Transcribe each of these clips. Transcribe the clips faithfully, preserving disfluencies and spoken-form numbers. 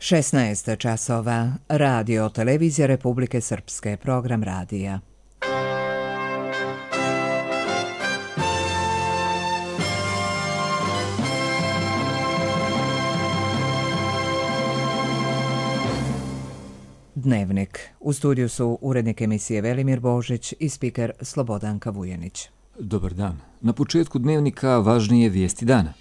šesnaest časova. Radio televizija Republike Srpske. Program radija. Dnevnik. U studiju su urednik emisije Velimir Božić i spiker Slobodanka Vujanić. Dobar dan. Na početku dnevnika važnije vijesti dana.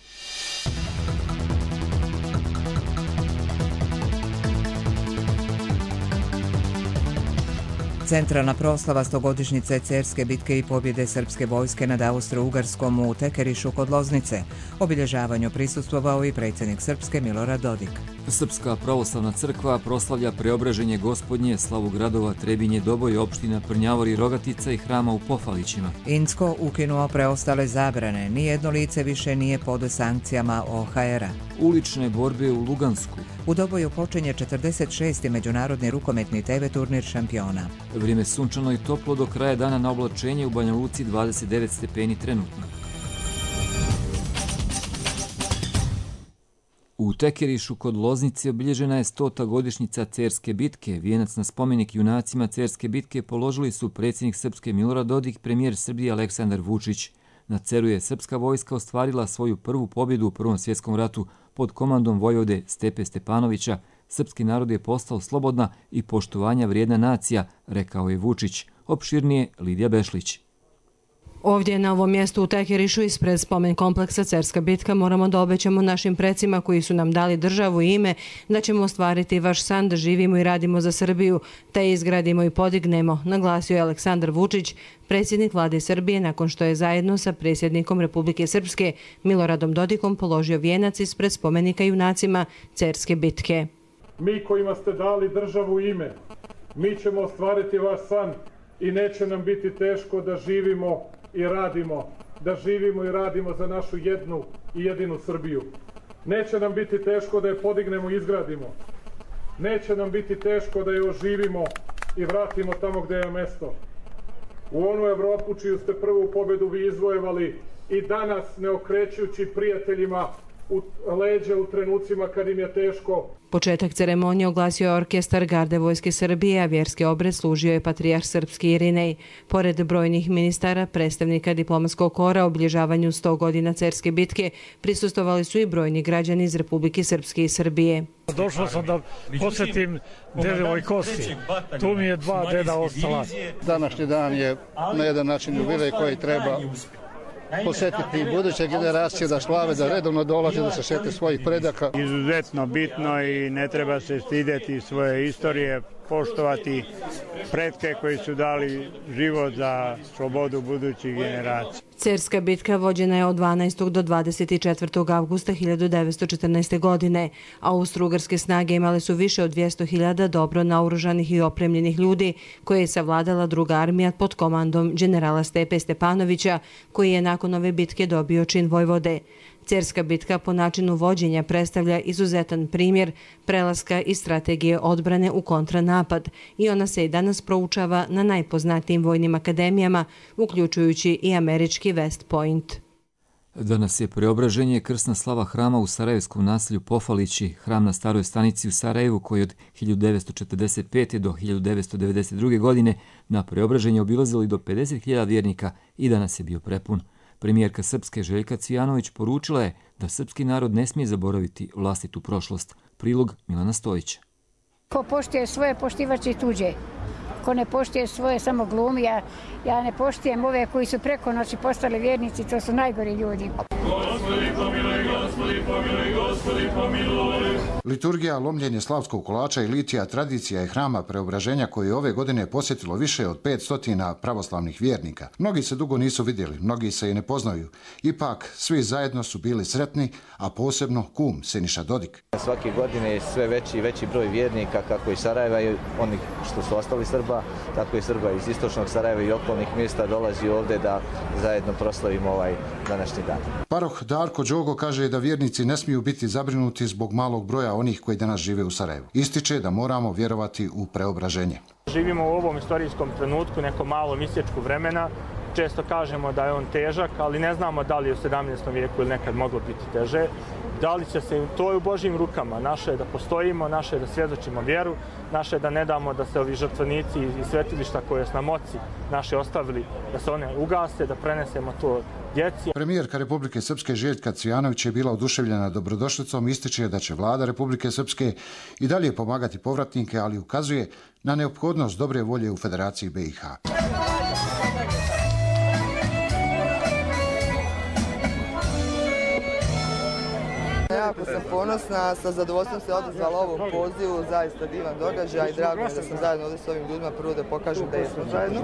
Centralna proslava stogodišnjice Cerske bitke i pobjede srpske vojske nad Austro-Ugarskom u Tekerišu kod Loznice. Obilježavanju prisustvovao i predsjednik Srpske Milorad Dodik. Srpska pravoslavna crkva proslavlja preobraženje Gospodnje, slavu gradova Trebinje, Doboj, opština Prnjavor i Rogatica i hrama u Pofalićima. Incko ukinuo preostale zabrane. Nijedno lice više nije pod sankcijama O H R-a. Ulične borbe u Lugansku. U Doboju počinje četrdeset šesti međunarodni rukometni T V turnir šampiona. Vrijeme sunčano i toplo do kraja dana, na oblačenje u Banja Luci dvadeset devet stepeni trenutno. U Tekerišu kod Loznice obilježena je stota godišnjica Cerske bitke. Vijenac na spomenik junacima Cerske bitke položili su predsjednik Srpske Milorad Dodik, premijer Srbije Aleksandar Vučić. Na Ceru je srpska vojska ostvarila svoju prvu pobjedu u Prvom svjetskom ratu pod komandom vojvode Stepe Stepanovića. Srpski narod je postao slobodna i poštovanja vrijedna nacija, rekao je Vučić. Opširnije Lidija Bešlić. Ovdje na ovom mjestu u Tekerišu ispred spomen kompleksa Cerska bitka moramo da obećamo našim precima koji su nam dali državu i ime da ćemo ostvariti vaš san da živimo i radimo za Srbiju, te izgradimo i podignemo, naglasio je Aleksandar Vučić, predsjednik vlade Srbije, nakon što je zajedno sa predsjednikom Republike Srpske Miloradom Dodikom položio vijenac ispred spomenika junacima Cerske bitke. Mi kojima ste dali državu i ime, mi ćemo ostvariti vaš san i neće nam biti teško da živimo i radimo, da živimo i radimo za našu jednu i jedinu Srbiju. Neće nam biti teško da je podignemo i izgradimo. Neće nam biti teško da je oživimo i vratimo tamo gdje je mesto. U onu Evropu čiju ste prvu pobjedu vi izvojevali i danas ne okrećujući prijateljima u leđe u trenucima kad im je teško. Početak ceremonije oglasio je orkestar Garde vojske Srbije, a vjerski obred služio je patrijarh srpski Irinej. Pored brojnih ministara, predstavnika diplomatskog kora, obilježavanju sto godina Cerske bitke prisustvovali su i brojni građani iz Republike Srpske i Srbije. Došao sam da posjetim dedovoj kosti. Tu mi je dva deda ostala. Današnji dan je na jedan način jubilej koji treba posjetiti buduće generacije da slave, da redovno dolaze, da se sjete svojih predaka. Izuzetno bitno i ne treba se stidjeti svoje istorije, poštovati pretke koji su dali život za slobodu budućih generacija. Cerska bitka vođena je od dvanaestog do dvadeset četvrtog avgusta hiljadu devetsto četrnaeste. godine. Austro-ugarske snage imale su više od dvjesto hiljada dobro naoružanih i opremljenih ljudi koje je savladala druga armija pod komandom generala Stepe Stepanovića, koji je nakon ove bitke dobio čin vojvode. Cerska bitka po načinu vođenja predstavlja izuzetan primjer prelaska iz strategije odbrane u kontranapad i ona se i danas proučava na najpoznatijim vojnim akademijama, uključujući i američki West Point. Danas je preobraženje krsna slava hrama u sarajevskom naselju Pofalići, hram na staroj stanici u Sarajevu koji od hiljadu devetsto četrdeset pete. do hiljadu devetsto devedeset druge. godine na preobraženje obilazili do pedeset hiljada vjernika i danas je bio prepun. Premijerka Srpske Željka Cvijanović poručila je da srpski narod ne smije zaboraviti vlastitu prošlost. Prilog Milana Stojića. Ko poštuje svoje, poštivaće i tuđe. Ko ne poštuje svoje, samo glumi. Ja, ja ne poštijem ove koji su preko noći postali vjernici, to su najgori ljudi. Gospodi pomiluj, Gospodi pomiluj, Gospodi pomiluj. Liturgija, lomljenje slavskog kolača i litija tradicija je hrama preobraženja koji je ove godine posjetilo više od petsto pravoslavnih vjernika. Mnogi se dugo nisu vidjeli, mnogi se i ne poznaju. Ipak, svi zajedno su bili sretni, a posebno kum Siniša Dodik. Svake godine je sve veći i veći broj vjernika, kako iz Sarajeva i onih što su ostali Srba, tako i Srba iz istočnog Sarajeva i okolnih mjesta dolazi ovdje da zajedno proslavimo ovaj današnji dan. Paroh Darko Đogo kaže da vjernici ne smiju biti zabrinuti zbog malog broja onih koji danas žive u Sarajevu. Ističe da moramo vjerovati u preobraženje. Živimo u ovom istorijskom trenutku, neko malo misječku vremena, često kažemo da je on težak, ali ne znamo da li je u sedamnaestom vijeku ili nekad moglo biti teže. Da li će se, to je u Božjim rukama. Naše je da postojimo, naše je da svjedočimo vjeru, naše je da ne damo da se ovi žrtvenici i svetilišta koje su nam oci naše ostavili, da se one ugase, da prenesemo to djeci. Premijerka Republike Srpske Željka Cvijanović je bila oduševljena dobrodošlicom, ističe da će vlada Republike Srpske i dalje pomagati povratnike, ali ukazuje na neophodnost dobre volje u Federaciji B i H. Jako sam ponosna, sa zadovoljstvom se odazvala ovom pozivu, zaista divan događaj i drago mi da sam zajedno ovdje s ovim ljudima, prvo da pokažem da jesmo zajedno,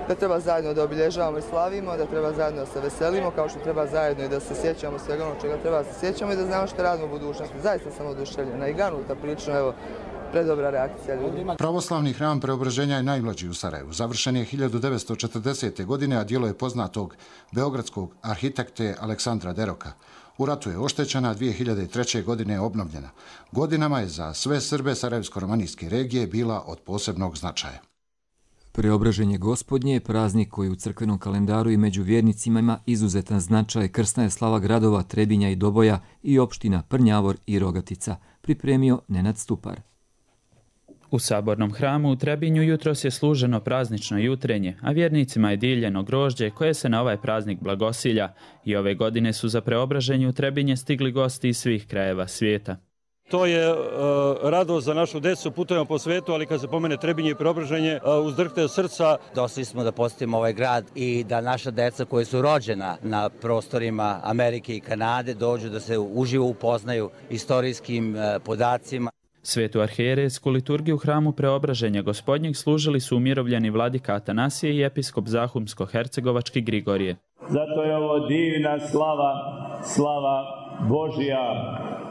da treba zajedno da obilježavamo i slavimo, da treba zajedno da se veselimo, kao što treba zajedno i da se sjećamo svega ono čega treba da se sjećamo i da znamo što radimo u budućnosti. Zaista sam oduševljena i ganuta prilično, evo, predobra reakcija ljudi. Pravoslavni hram Preobraženja je najmlađi u Sarajevu. Završen je hiljadu devetsto četrdesete. godine, a djelo je poznatog beogradskog arhitekte Aleksandra Deroka. U ratu je oštećena, dvije hiljade treće. godine je obnovljena. Godinama je za sve Srbe Sarajevsko-romanijske regije bila od posebnog značaja. Preobraženje Gospodnje je praznik koji u crkvenom kalendaru i među vjernicima ima izuzetan značaj. Krsna je slava gradova Trebinja i Doboja i opština Prnjavor i Rogatica, pripremio Nenad Stupar. U sabornom hramu u Trebinju jutros je služeno praznično jutrenje, a vjernicima je dijeljeno grožđe koje se na ovaj praznik blagosilja. I ove godine su za preobraženje u Trebinje stigli gosti iz svih krajeva svijeta. To je uh, radost za našu decu, putujemo po svetu, ali kad se pomene Trebinje i Preobraženje, uh, uzdrhte srca. Došli smo da posjetimo ovaj grad i da naša deca koji su rođena na prostorima Amerike i Kanade dođu da se uživo upoznaju istorijskim uh, podacima. Svetu arhijerejsku liturgiju u hramu Preobraženja Gospodnjeg služili su umirovljeni vladika Atanasije i episkop Zahumsko-hercegovački Grigorije. Zato je ovo divna slava, slava Božja,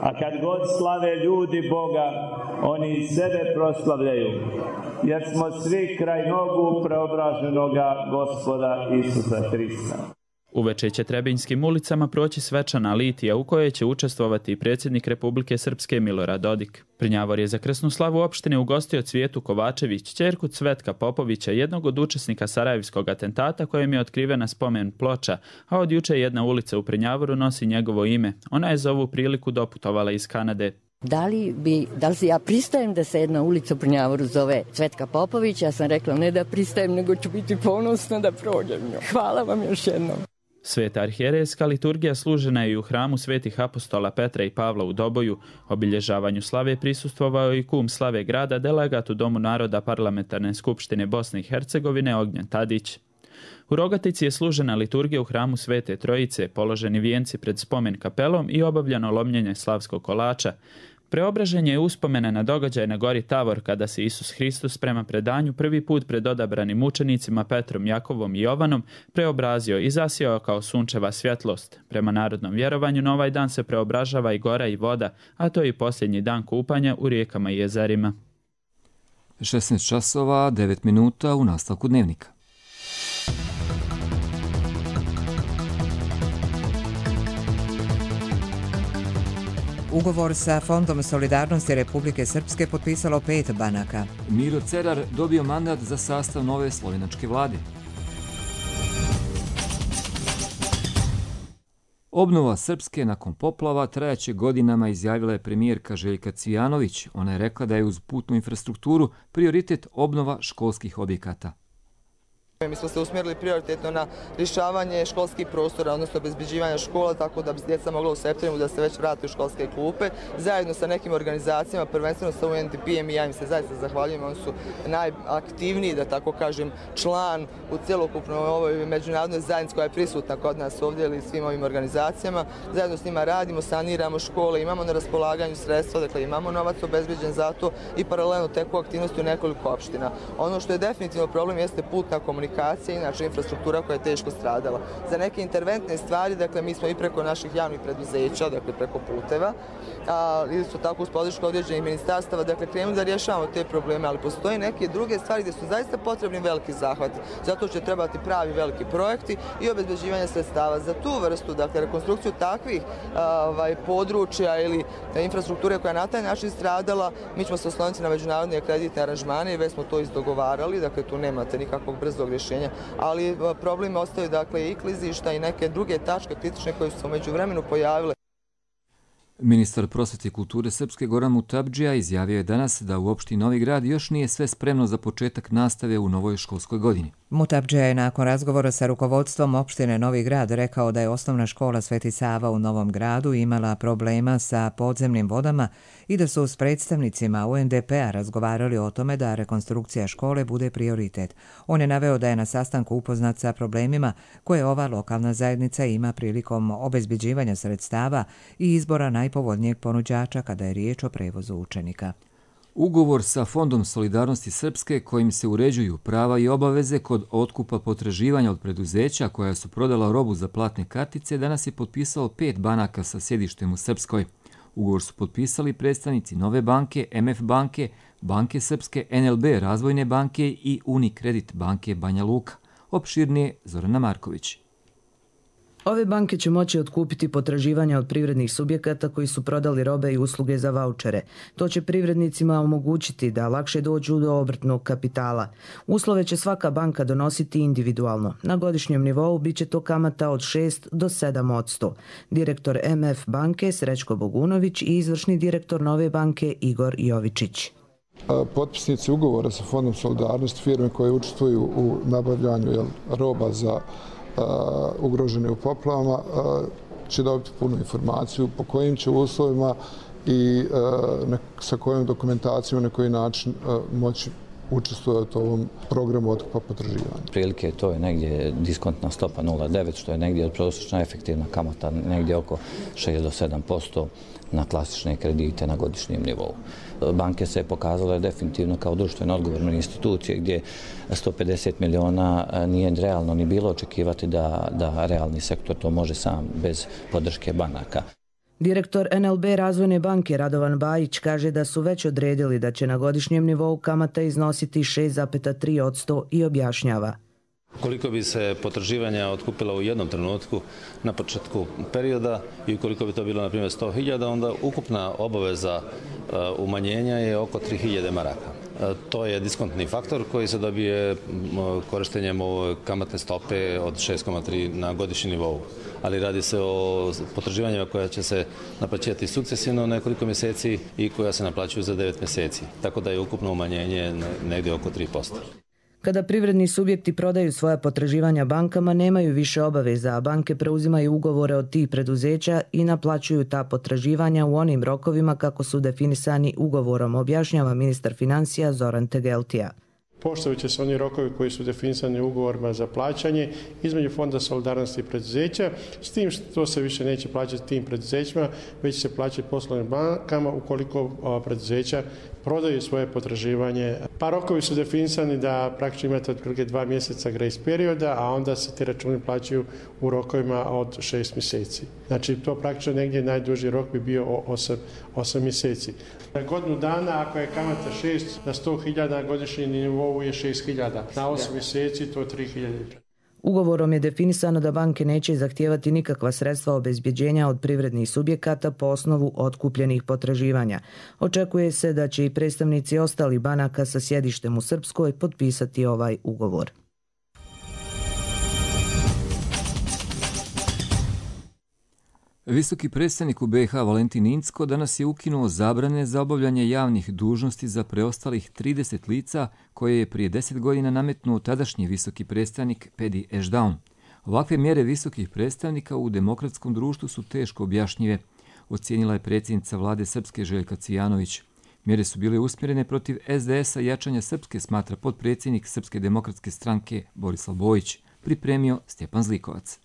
a kad god slave ljudi Boga, oni sebe proslavljaju, jer smo svi kraj nogu preobraženoga Gospoda Isusa Hrista. Uveče će Trebinjskim ulicama proći svečana litija u kojoj će učestvovati i predsjednik Republike Srpske Milorad Dodik. Prnjavor je za krsnu slavu opštine ugostio Cvijetu Kovačević, ćerku Cvetka Popovića, jednog od učesnika sarajevskog atentata kojem je otkrivena spomen ploča, a od juče jedna ulica u Prnjavoru nosi njegovo ime. Ona je za ovu priliku doputovala iz Kanade. Da li, bi, da li ja pristajem da se jedna ulica u Prnjavoru zove Cvetka Popovića? Ja sam rekla ne da pristajem, nego ću biti ponosna da prođem nju. Hvala vam još jednom. Sveta arhijerejska liturgija služena je i u hramu svetih apostola Petra i Pavla u Doboju. Obilježavanju slave prisustvovao i kum slave grada, delegat u Domu naroda Parlamentarne skupštine Bosne i Hercegovine Ognjen Tadić. U Rogatici je služena liturgija u hramu Svete Trojice, položeni vijenci pred spomen kapelom i obavljeno lomljenje slavskog kolača. Preobraženje je uspomena na događaj na gori Tavor kada se Isus Hristos prema predanju prvi put pred odabranim učenicima Petrom, Jakovom i Jovanom preobrazio i zasijao kao sunčeva svjetlost. Prema narodnom vjerovanju na ovaj dan se preobražava i gora i voda, a to je i posljednji dan kupanja u rijekama i jezerima. šesnaest časova, devet minuta u nastavku dnevnika. Ugovor sa Fondom solidarnosti Republike Srpske potpisalo pet banaka. Miro Cerar dobio mandat za sastav nove slovenačke vlade. Obnova Srpske nakon poplava trajaće godinama, izjavila je premijerka Željka Cvijanović. Ona je rekla da je uz putnu infrastrukturu prioritet obnova školskih objekata. Mi smo se usmjerili prioritetno na rješavanje školskih prostora, odnosno obezbeđivanja škola, tako da bi djeca mogla u septembru da se već vrati u školske klupe. Zajedno sa nekim organizacijama, prvenstveno sa U N D P-em i ja im se zaista zahvaljujem, oni su najaktivniji, da tako kažem, član u cjelokupnoj ovoj međunarodnoj zajednici koja je prisutna kod nas ovdje ili svim ovim organizacijama. Zajedno s njima radimo, saniramo škole, imamo na raspolaganju sredstva, dakle imamo novac obezbeđen za to i paralelno teku aktivnosti u nekoliko opština. Ono što je definitivno problem jeste putna komunikacija, inače infrastruktura koja je teško stradala. Za neke interventne stvari, dakle, mi smo i preko naših javnih preduzeća, dakle, preko puteva, a isto tako uz podršku određenih ministarstava, dakle, krenemo da rješavamo te probleme, ali postoje neke druge stvari gdje su zaista potrebni veliki zahvati. Zato će trebati pravi veliki projekti i obezbeđivanje sredstava za tu vrstu, dakle, rekonstrukciju takvih ovaj, područja ili infrastrukture koja je na taj način stradala. Mi ćemo se osloniti na međunarodne kreditne aranžmane i već smo to izdogovarali, dakle, tu nemate nikakvog brzog rješenja, ali problemi ostaju dakle i klizišta i neke druge tačke kritične koje su se u međuvremenu pojavile. Ministar prosvete i kulture Srpske Goran Mutabdžija izjavio je danas da u opštini Novi Grad još nije sve spremno za početak nastave u novoj školskoj godini. Mutabdžija je nakon razgovora sa rukovodstvom opštine Novi Grad rekao da je osnovna škola Sveti Sava u Novom Gradu imala problema sa podzemnim vodama i da su s predstavnicima U N D P-a razgovarali o tome da rekonstrukcija škole bude prioritet. On je naveo da je na sastanku upoznat sa problemima koje ova lokalna zajednica ima prilikom obezbeđivanja sredstava i izbora najpovoljnijeg ponuđača kada je riječ o prevozu učenika. Ugovor sa Fondom solidarnosti Srpske kojim se uređuju prava i obaveze kod otkupa potraživanja od preduzeća koja su prodala robu za platne kartice danas je potpisalo pet banaka sa sjedištem u Srpskoj. Ugovor su potpisali predstavnici Nove banke, M F banke, Banke Srpske, N L B Razvojne banke i Unikredit banke Banja Luka. Opširnije Zorana Marković. Ove banke će moći otkupiti potraživanja od privrednih subjekata koji su prodali robe i usluge za vaučere. To će privrednicima omogućiti da lakše dođu do obrtnog kapitala. Uslove će svaka banka donositi individualno. Na godišnjem nivou bit će to kamata od šest do sedam posto. Direktor M F banke Srećko Bogunović i izvršni direktor Nove banke Igor Jovičić. Potpisnici ugovora sa Fondom solidarnosti, firme koje učestvuju u nabavljanju jel, roba za Uh, ugrožene u poplavama, uh, će dobiti punu informaciju po kojim će uslovima i uh, ne, sa kojom dokumentacijom na koji način uh, moći učestvovati u ovom programu otkupa potraživanja. Prilike to je negdje diskontna stopa nula zarez devet, što je negdje prosječna efektivna kamata negdje oko šest do sedam posto na klasične kredite na godišnjem nivou. Banke se pokazale definitivno kao društveno odgovorne institucije gdje sto pedeset miliona nije realno ni bilo očekivati da, da realni sektor to može sam bez podrške banaka. Direktor N L B Razvojne banke Radovan Bajić kaže da su već odredili da će na godišnjem nivou kamata iznositi šest zarez tri posto i objašnjava. Koliko bi se potraživanja otkupila u jednom trenutku na početku perioda i koliko bi to bilo na primjer sto hiljada, onda ukupna obaveza umanjenja je oko tri hiljade maraka. To je diskontni faktor koji se dobije korištenjem ove kamatne stope od šest zarez tri na godišnji nivou. Ali radi se o potraživanjima koja će se naplaćivati sukcesivno nekoliko mjeseci i koja se naplaćuju za devet mjeseci. Tako da je ukupno umanjenje negdje oko tri posto. Kada privredni subjekti prodaju svoja potraživanja bankama, nemaju više obaveza, a banke preuzimaju ugovore od tih preduzeća i naplaćuju ta potraživanja u onim rokovima kako su definisani ugovorom, objašnjava ministar financija Zoran Tegeltija. Poštovat će se oni rokovi koji su definisani ugovorima za plaćanje između Fonda solidarnosti i preduzeća, s tim što se više neće plaćati tim preduzećima, već se plaćati poslovnim bankama ukoliko preduzeća prodaju svoje potraživanje. Pa rokovi su definisani da praktično imate otprilike dva mjeseca grace perioda, a onda se ti računi plaćaju u rokovima od šest mjeseci. Znači to praktično negdje najduži rok bi bio osam mjeseci. Na godinu dana, ako je kamata šest na sto hiljada, na godišnji nivou je šest hiljada. Na osam mjeseci to je tri hiljade. Ugovorom je definisano da banke neće zahtijevati nikakva sredstva obezbjeđenja od privrednih subjekata po osnovu otkupljenih potraživanja. Očekuje se da će i predstavnici ostalih banaka sa sjedištem u Srpskoj potpisati ovaj ugovor. Visoki predstavnik u B i H Valentin Incko danas je ukinuo zabrane za obavljanje javnih dužnosti za preostalih trideset lica koje je prije deset godina nametnuo tadašnji visoki predstavnik Pedi Ešdaun. Ovakve mjere visokih predstavnika u demokratskom društvu su teško objašnjive, ocijenila je predsjednica vlade Srpske Željka Cvijanović. Mjere su bile usmjerene protiv S D S-a i jačanja Srpske, smatra potpredsjednik Srpske demokratske stranke Borislav Bojić, pripremio Stjepan Zlikovac.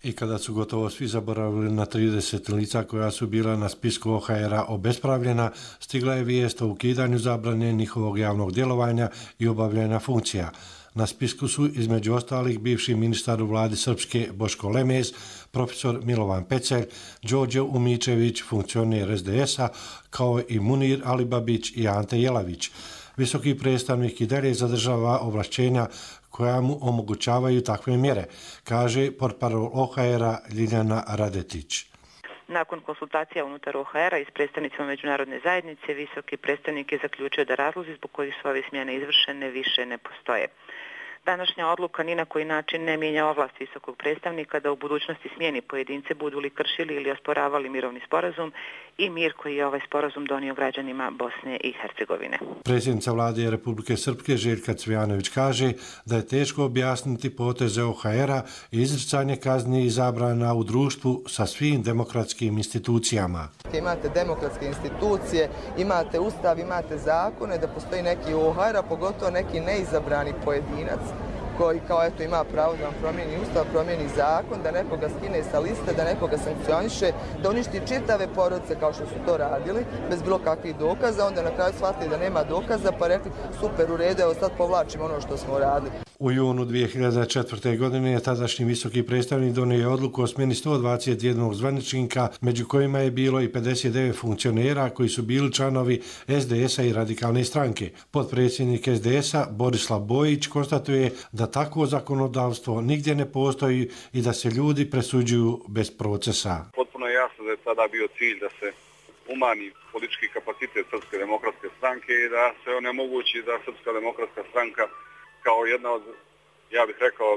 I kada su gotovo svi zaboravili na trideset lica koja su bila na spisku O H R-a obespravljena, stigla je vijest o ukidanju zabrane njihovog javnog djelovanja i obavljanja funkcija. Na spisku su između ostalih bivši ministar u vladi Srpske Boško Lemez, profesor Milovan Pecelj, Đorđe Umičević, funkcioner S D S-a, kao i Munir Alibabić i Ante Jelavić. Visoki predstavnik i dalje zadržava ovlašćenja koja mu omogućavaju takve mjere, kaže portparol O H R-a Ljiljana Radetić. Nakon konsultacija unutar O H R-a i s predstavnicima međunarodne zajednice, visoki predstavnik je zaključio da razlozi zbog kojih su ove smjene izvršene više ne postoje. Današnja odluka ni na koji način ne mijenja ovlast visokog predstavnika da u budućnosti smijeni pojedince budu li kršili ili osporavali mirovni sporazum i mir koji je ovaj sporazum donio građanima Bosne i Hercegovine. Predsjednica vlade Republike Srpske Željka Cvijanović kaže da je teško objasniti poteze O H R-a i izricanje kazni i zabrana u društvu sa svim demokratskim institucijama. Imate demokratske institucije, imate ustav, imate zakone, da postoji neki O H R, a pogotovo neki neizabrani pojedinac koji kao eto ima pravo da vam promijeni ustav, promijeni zakon, da nekoga skine sa liste, da nekoga sankcioniše, da uništi čitave porodice kao što su to radili, bez bilo kakvih dokaza, onda na kraju shvatili da nema dokaza, pa rekli super, u redu, evo sad povlačimo ono što smo radili. U junu dvije hiljade četvrte. godine je tadašnji visoki predstavnik donio odluku o smjeni sto dvadeset jedan zvaničnika, među kojima je bilo i pedeset devet funkcionera koji su bili članovi S D S-a i Radikalne stranke. Potpredsjednik S D S-a Borislav Bojić konstatuje da takvo zakonodavstvo nigdje ne postoji i da se ljudi presuđuju bez procesa. Potpuno je jasno da je tada bio cilj da se umanji politički kapacitet Srpske demokratske stranke i da se onemogući da Srpska demokratska stranka kao jedna od, ja bih rekao,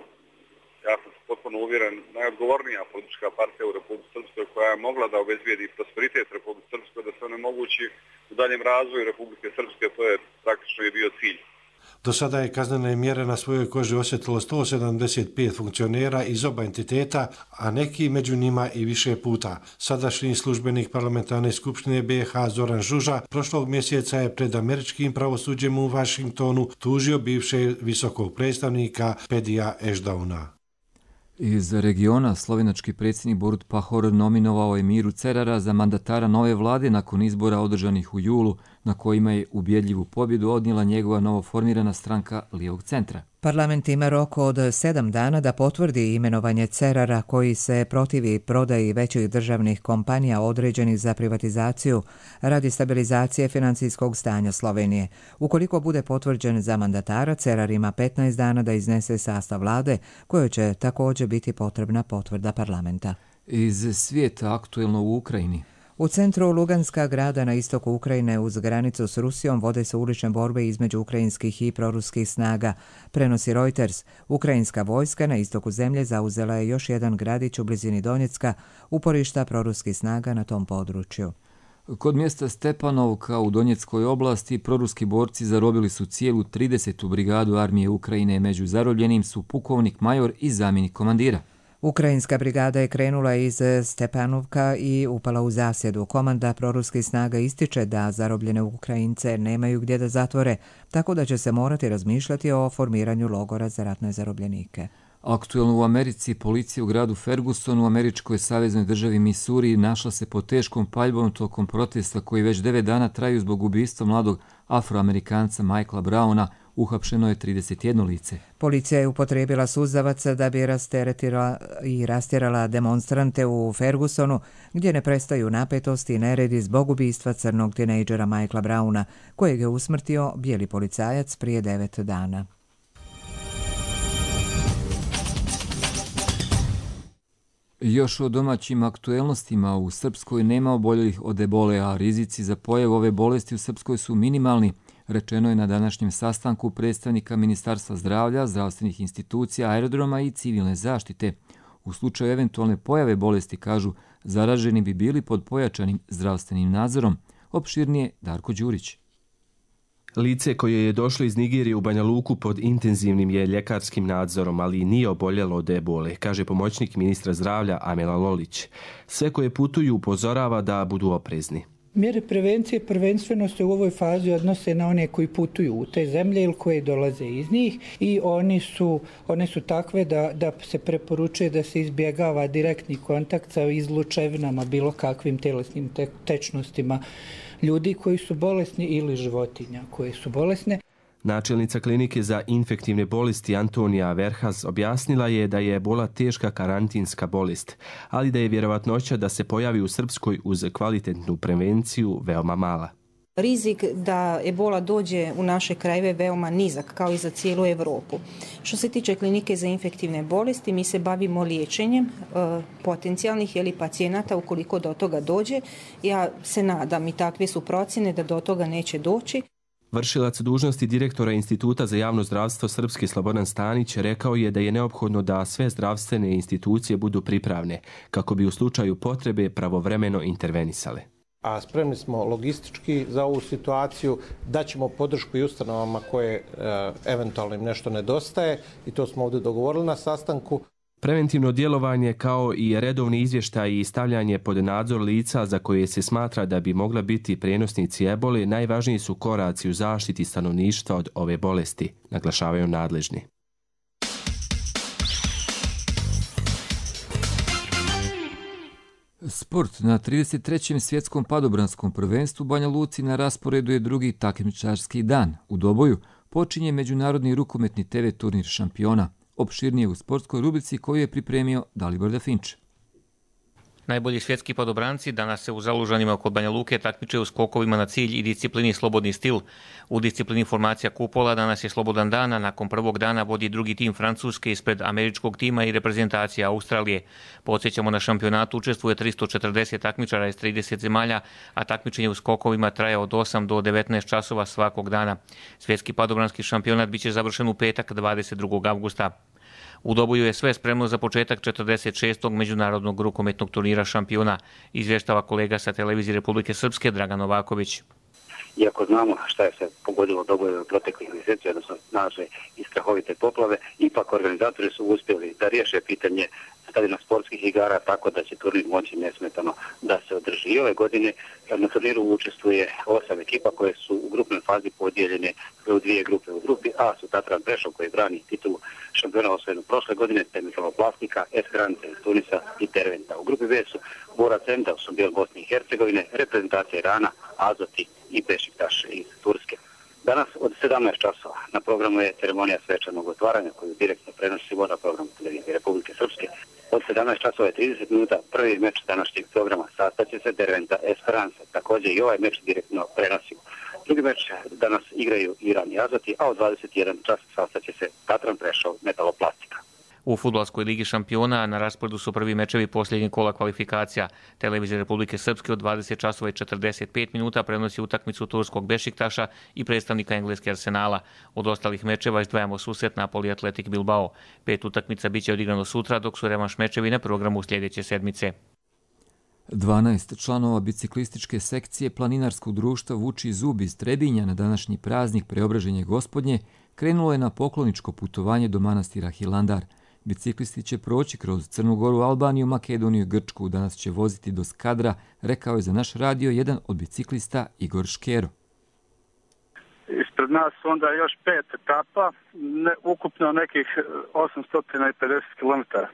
ja sam potpuno uvjeren, najodgovornija politička partija u Republici Srpskoj koja je mogla da obezbijedi prosperitet Republike Srpskoj, da se onemogući u daljem razvoju Republike Srpske, to je praktično i bio cilj. Do sada je kaznene mjere na svojoj koži osjetilo sto sedamdeset pet funkcionera iz oba entiteta, a neki među njima i više puta. Sadašnji službenik parlamentarne skupštine B i H Zoran Žuža prošlog mjeseca je pred američkim pravosuđem u Vašingtonu tužio bivšeg visokog predstavnika Pedija Ešdauna. Iz regiona slovenački predsjednik Borut Pahor nominovao je Miru Cerara za mandatara nove vlade nakon izbora održanih u julu, na kojima je ubjedljivu pobjedu odnijela njegova novoformirana stranka Lijevog centra. Parlament ima rok od sedam dana da potvrdi imenovanje Cerara koji se protivi prodaji većih državnih kompanija određenih za privatizaciju radi stabilizacije financijskog stanja Slovenije. Ukoliko bude potvrđen za mandatara, Cerar ima petnaest dana da iznese sastav vlade, kojoj će također biti potrebna potvrda parlamenta. Iz svijeta aktuelno u Ukrajini. U centru Luganska, grada na istoku Ukrajine uz granicu s Rusijom, vode se ulične borbe između ukrajinskih i proruskih snaga. Prenosi Reuters. Ukrajinska vojska na istoku zemlje zauzela je još jedan gradić u blizini Donjecka, uporišta proruskih snaga na tom području. Kod mjesta Stepanovka u Donjeckoj oblasti proruski borci zarobili su cijelu tridesetu brigadu armije Ukrajine. Među zarobljenim su pukovnik major i zamjenik komandira. Ukrajinska brigada je krenula iz Stepanovka i upala u zasjedu. Komanda proruskih snaga ističe da zarobljene Ukrajince nemaju gdje da zatvore, tako da će se morati razmišljati o formiranju logora za ratne zarobljenike. Aktuelno u Americi, policija u gradu Ferguson u američkoj saveznoj državi Missouri našla se pod teškom paljbom tokom protesta koji već devet dana traju zbog ubistva mladog Afroamerikanca Michaela Browna. Uhapšeno je trideset jedno lice. Policija je upotrijebila suzavac da bi rasteretila i rastjerala demonstrante u Fergusonu, gdje ne prestaju napetosti i neredi zbog ubistva crnog tinejdžera Michaela Browna, kojeg je usmrtio bijeli policajac prije devet dana. Još o domaćim aktuelnostima. U Srpskoj nema oboljelih od ebole, a rizici za pojavu ove bolesti u Srpskoj su minimalni, rečeno je na današnjem sastanku predstavnika Ministarstva zdravlja, zdravstvenih institucija, aerodroma i civilne zaštite. U slučaju eventualne pojave bolesti, kažu, zaraženi bi bili pod pojačanim zdravstvenim nadzorom. Opširnije Darko Đurić. Lice koje je došlo iz Nigerije u Banja Luku pod intenzivnim je ljekarskim nadzorom, ali nije oboljelo od ebole, kaže pomoćnik ministra zdravlja Amela Lolić. Sve koje putuju upozorava da budu oprezni. Mjere prevencije prvenstveno se u ovoj fazi odnose na one koji putuju u te zemlje ili koji dolaze iz njih i oni su, one su takve da, da se preporučuje da se izbjegava direktni kontakt sa izlučevinama, bilo kakvim telesnim te, tečnostima ljudi koji su bolesni ili životinja koje su bolesne. Načelnica klinike za infektivne bolesti Antonija Verhas objasnila je da je ebola teška karantinska bolest, ali da je vjerovatnoća da se pojavi u Srpskoj uz kvalitetnu prevenciju veoma mala. Rizik da ebola dođe u naše krajeve veoma nizak, kao i za cijelu Europu. Što se tiče klinike za infektivne bolesti, mi se bavimo liječenjem e, potencijalnih ili pacijenata ukoliko do toga dođe. Ja se nadam i takve su procjene da do toga neće doći. Vršilac dužnosti direktora Instituta za javno zdravstvo Srpske Slobodan Stanić rekao je da je neophodno da sve zdravstvene institucije budu pripravne kako bi u slučaju potrebe pravovremeno intervenisale. A spremni smo logistički za ovu situaciju, daćemo podršku i ustanovama koje e, eventualno im nešto nedostaje i to smo ovdje dogovorili na sastanku. Preventivno djelovanje kao i redovni izvještaj i stavljanje pod nadzor lica za koje se smatra da bi mogla biti prenosnici ebole najvažniji su koraci u zaštiti stanovništva od ove bolesti, naglašavaju nadležni. Sport. Na trideset trećem svjetskom padobranskom prvenstvu Banja Luci na rasporedu je drugi takmičarski dan. U Doboju počinje međunarodni rukometni te ve turnir šampiona. Opširnije u sportskoj rubrici koju je pripremio Dalibor Dafinč. Najbolji svjetski padobranci danas se u Zalužanima oko Banja Luke takmiče u skokovima na cilj i disciplini slobodni stil. U disciplini formacija kupola danas je slobodan dan, a nakon prvog dana vodi drugi tim Francuske ispred američkog tima i reprezentacija Australije. Podsjećamo, na šampionatu učestvuje tristo četrdeset takmičara iz trideset zemalja, a takmičenje u skokovima traje od osam do devetnaest časova svakog dana. Svjetski padobranski šampionat biće završen u petak dvadeset drugog avgusta. U Doboju je sve spremno za početak četrdeset šestog međunarodnog rukometnog turnira šampiona, izvještava kolega sa televizije Republike Srpske Dragan Novaković. Iako znamo šta je se pogodilo Doboju u proteklih mjeseci, odnosno naše i strahovite poplave, ipak organizatori su uspjeli da riješe pitanje stadiona sportskih igara tako da će turnir moći nesmetano da se održi. I ove godine na turniru učestvuje osam ekipa koje su u grupnoj fazi podijeljene u dvije grupe. U grupi A su Tatran Prešov koji brani titulu šampiona osvojenu prošle godine, te Metaloplastika, Esperance iz Tunisa i Terventa. U grupi B su Bora Centa u Sombijel Bosne i Hercegovine, reprezentacija Irana, Azoti i Bešiktaš iz Turske. Danas od sedamnaest časova na programu je ceremonija svečanog otvaranja koju direktno prenosimo na programu televizije Republike Srpske. Od sedamnaest časova i trideset minuta prvi meč današnjeg programa sastaće se Derventa Esperance. Također i ovaj meč direktno prenosimo. Drugi meč danas igraju Iran i Azoti, a od dvadeset jedan čas sastaće se Tatran Prešov Metaloplastika. U fudbalskoj ligi šampiona na rasporedu su prvi mečevi posljednjeg kola kvalifikacija. Televizija Republike Srpske od dvadeset časova i četrdeset pet minuta prenosi utakmicu turskog Bešiktaša i predstavnika engleske Arsenala. Od ostalih mečeva izdvajamo susret Napoli Atletik Bilbao. Pet utakmica biće odigrano sutra, dok su revanš mečevi na programu sljedeće sedmice. dvanaest članova biciklističke sekcije planinarskog društva Vuči zub iz Trebinja na današnji praznik Preobraženje Gospodnje krenulo je na pokloničko putovanje do manastira Hilandar. Biciklisti će proći kroz Crnu Goru, Albaniju, Makedoniju i Grčku. Danas će voziti do Skadra, rekao je za naš radio jedan od biciklista Igor Škero. Ispred nas onda još pet etapa, ne, ukupno nekih osamsto pedeset kilometara.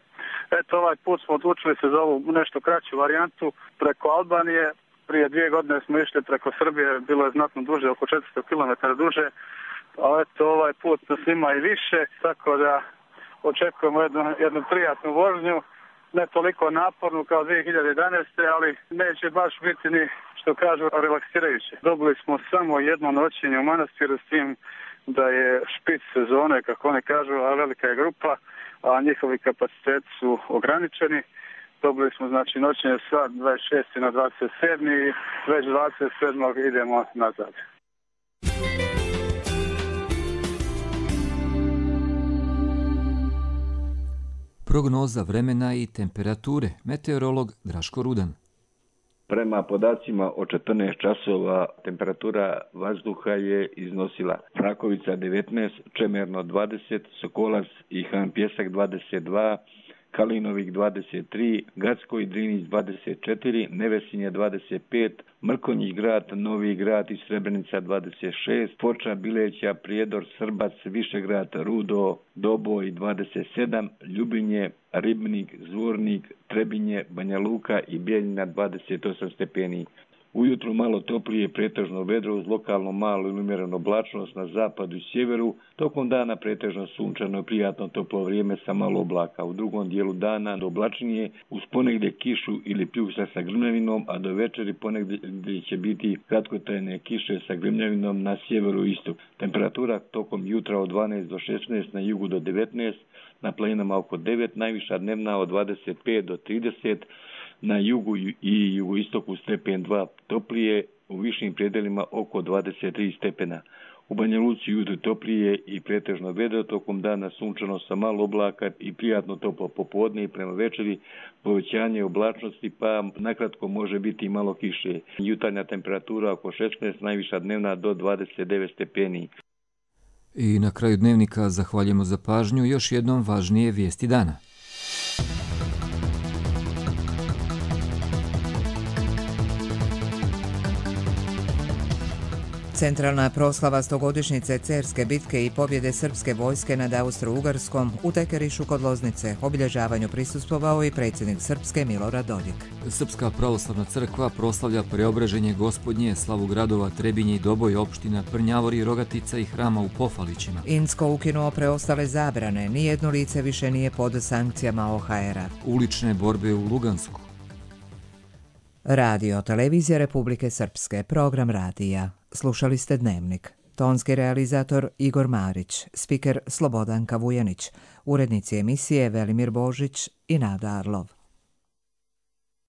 Eto, ovaj put smo odlučili se za ovu nešto kraću varijantu preko Albanije. Prije dvije godine smo išli preko Srbije, bilo je znatno duže, oko četiristo kilometara duže. A eto, ovaj put nas ima i više, tako da očekujemo jednu, jednu prijatnu vožnju, ne toliko napornu kao dvije hiljade jedanaeste. ali neće baš biti ni, što kažu, relaksirajuće. Dobili smo samo jedno noćenje u manastiru s tim da je špic sezone, kako oni kažu, a velika je grupa, a njihovi kapaciteti su ograničeni. Dobili smo znači noćenje sa dvadeset šestog na dvadeset sedmog i već dvadeset sedmog idemo nazad. Prognoza vremena i temperature. Meteorolog Draško Rudan. Prema podacima od četrnaest časova temperatura vazduha je iznosila Frakovica devetnaest, Čemerno dvadeset, Sokolac i Han Pjesak dvadeset dva, Kalinovik dvadeset tri, Gacko i Drinić dvadeset četiri, Nevesinje dvadeset pet, Mrkonjić grad, Novi grad i Srebrenica dvadeset šest, Foča, Bileća, Prijedor, Srbac, Višegrad, Rudo, Doboj dvadeset sedam, Ljubinje, Ribnik, Zvornik, Trebinje, Banja Luka i Bijeljina dvadeset osam stepeni. Ujutru malo toplije, pretežno vedro uz lokalno malo ili umjerenu oblačnost na zapadu i sjeveru. Tokom dana pretežno sunčano i prijatno toplo vrijeme sa malo oblaka. U drugom dijelu dana do oblačnije uz ponegdje kišu ili pljusak sa grmljavinom, a do večeri ponegdje će biti kratkotrajne kiše sa grmljavinom na sjeveru i istoku. Temperatura tokom jutra od dvanaest do šesnaest, na jugu do devetnaest, na planinama oko devet, najviša dnevna od dvadeset pet do trideset, na jugu i jugoistoku stepen dva toplije u višim predelima oko dvadeset tri stepena. U Banja Luci jutro toplije i pretežno vedro, tokom dana sunčano sa malo oblaka i prijatno toplo popodne i prema večeri povećanje oblačnosti, pa nakratko može biti i malo kiše. Jutarnja temperatura oko šesnaest, najviša dnevna do dvadeset devet stepeni. I na kraju dnevnika zahvaljujemo za pažnju, još jednom važnije vijesti dana. Centralna proslava stogodišnjice Cerske bitke i pobjede srpske vojske nad Austro-Ugarskom u Tekerišu kod Loznice obilježavanju prisustvovao i predsjednik Srpske Milorad Dodik. Srpska pravoslavna crkva proslavlja preobraženje Gospodnje, slavu gradova Trebinje i Doboj, opština Prnjavori, Rogatica i hrama u Pofalićima. Insko ukinuo preostale zabrane, nijedno lice više nije pod sankcijama O H R-a. Ulične borbe u Lugansku. Radio Televizija Republike Srpske, program radija. Slušali ste Dnevnik. Tonski realizator Igor Marić, spiker Slobodanka Vujanić, urednici emisije Velimir Božić i Nada Arlov.